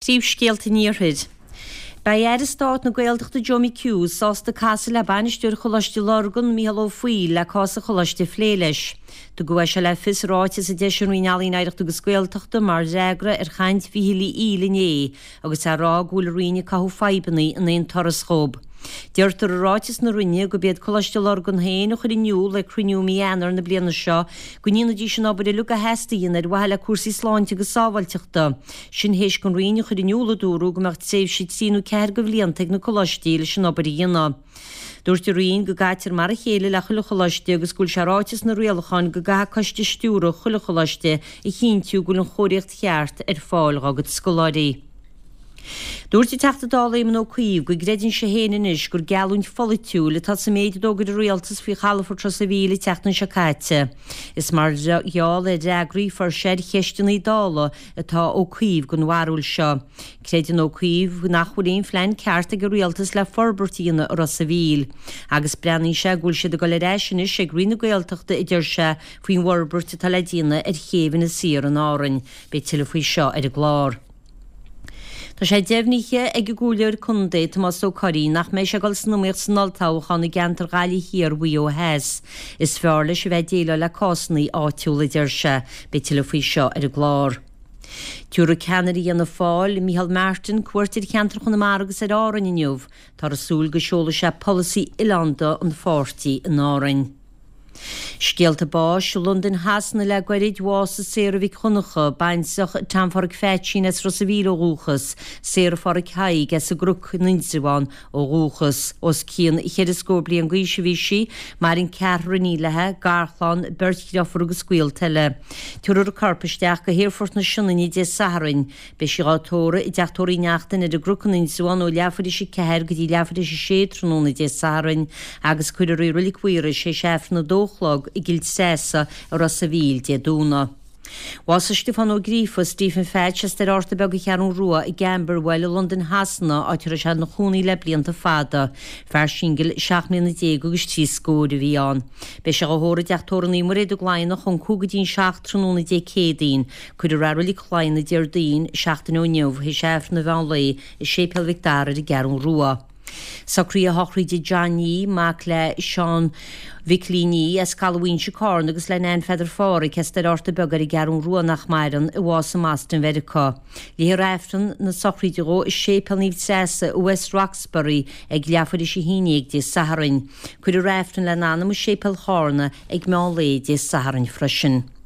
Príomhscéalta an Iarthair. Beidh Aire Stáit na Gaeltachta Joe McHugh sásta casadh le bainisteoir Choláiste Lurgan, Mícheál Ó Foighil, le cás an choláiste a phlé leis. Tugadh é seo le fios i ráiteas a d'eisigh an Roinn Ealaíon, Oidhreachta agus Gaeltachta mar fhreagra ar chaint Mhíchíl Uí Fhoighil inné agus é ag rá go bhfuil an Roinn ag cothú fadhbanna in aon turas dhób. Deirtear i ráiteas na Roinne gurb iad Coláiste Lurgan féin a chuir in iúl ag cruinniú i mí Eanáir na bliana seo go ndéanfaidís an obair uilig a theastaigh a dhéanamh ar mhaithe le cúrsaí sláinte agus sábháilteachta. Sin théis don Roinn a chur in iúl, a dúradh, go mbeadh tréimhse trí nó ceathair de bhlianta ag na coláistí leis an obair a dhéanamh. Dúirt an Roinn go gcaitear mar a chéile le chuile choláiste agus go bhfuil sé ráite sna rialacháin go gcaithfidh coiste stiúrtha chuile choláiste a chinntiú go bhfuil an chóiríocht cheart ar fáil dhá gcuid scoláirí. Dúirt an Teachta Dála Éamon Ó Cuív go gcreideann sé féin anois gur geallúint pholaitiúil atá sa méid a d'fhógair an Rialtas faoi chalafort Ros a' Mhíl an tseachtain seo caite. Is mar gheall ar fhreagraí a fuair sé ar cheisteanna Dála atá Ó Cuív den bharúil seo. Creideann Ó Cuív nach bhfuil aon phlean ceart ag an Rialtas le forbairt a dhéanamh i Ros a' Mhíl. Agus breathnaíonn sé go bhfuil siad ag dul ar ais anois ag rith na Gaeltachta a deir sé faoin bhforbairt atá le déanamh ar chéibh Inis Oírr in Árainn. Beidh tuilleadh faoi seo ar an gclár. Tá sé deimhnithe ag an gComhairleoir Contae, Tomás Ó Curraoin, nach mbeidh sé ag dul san iomaíocht san olltoghchán i gceantar Ghaillimh Thiar Mhaigh Eo Theas. Is fearr leis a bheith ag déileáil le cásanna áitiúla, a deir sé. Beidh tuilleadh faoi seo ar an gclár. Tabharfaidh ceannaire Fhianna Fáil, Micheál Martin, cuairt ar cheantar Chonamara agus ar Árainn inniu. Táthar ag súil go seolfaidh sé polasaí oileánda an pháirtí in Árainn. Scéalta báis i Londain Shasana le goirid, bhásaigh Sarah Mhic Dhonncha, baintreach Tom Pháraic Pheaitsín as Ros a' Mhíl ó dhúchas, Sarah Pháraic Thaidhg as an gCnoc in Indreabhán ó dhúchas. Os cionn cheithre scór bliain d'aois a bhí sí, maireann ceathrar iníon léi, garchlann, beirt dhriofúr agus gaolta eile. Tabharfar a corp isteach go hAerfort na Sionainne Dé Sathairn. Beidh sí dhá tórramh i dTeach Tórraimh Uí Neachtain ar an gCnoc in Indreabhán ó leathuair théis a 4 go dtí leathuair théis a 6 tráthnóna Dé Sathairn agus cuirfear í i Reilig Mhaorais théis Aifreann a dó a chlog i gCill Treasa i Ros a' Mhíl Dé Domhnaigh. Bhásaigh Stiofán Ó Gríofa, Stephen Phatch, as Doire Fhárta Beag an Cheathrún Rua i gCamberwell i Londain Shasana, áit a raibh sé ina chónaí le blianta fada. Fear singil 17 mbliana agus trí scóir a bhí ann. Beidh sé dhá thórramh i dTeach Tórraimh Naomh Muiréad i gCladhnach ón 5 go dtí an 7 tráthnóna Dé Céadaoin. Cuirfear é i Reilig Chladhna Déardaoin, seachtain ó inniu, théis Aifreann an mheán lae i Séipéal Mhic Dara ar an gCeathrún Rua. Socruithe sochraide Johnny, mac le Seán Mhicilín Ní as Caladh Mhaínse, Cárna agus le Nan Pheadar Pháraic as Doire Fhárta Beag ar an gCeathrún Rua nach maireann, a bhásaigh i mBoston Mheiriceá. Léifear Aifreann na sochraide dhó i Séipéal Naomh Treasa i West Roxbury ag leathuair théis a haon dhéag Dé Sathairn. Cuirfear Aifreann lena anam i Séipéal Chárna ag meán lae Dé Sathairn freisin.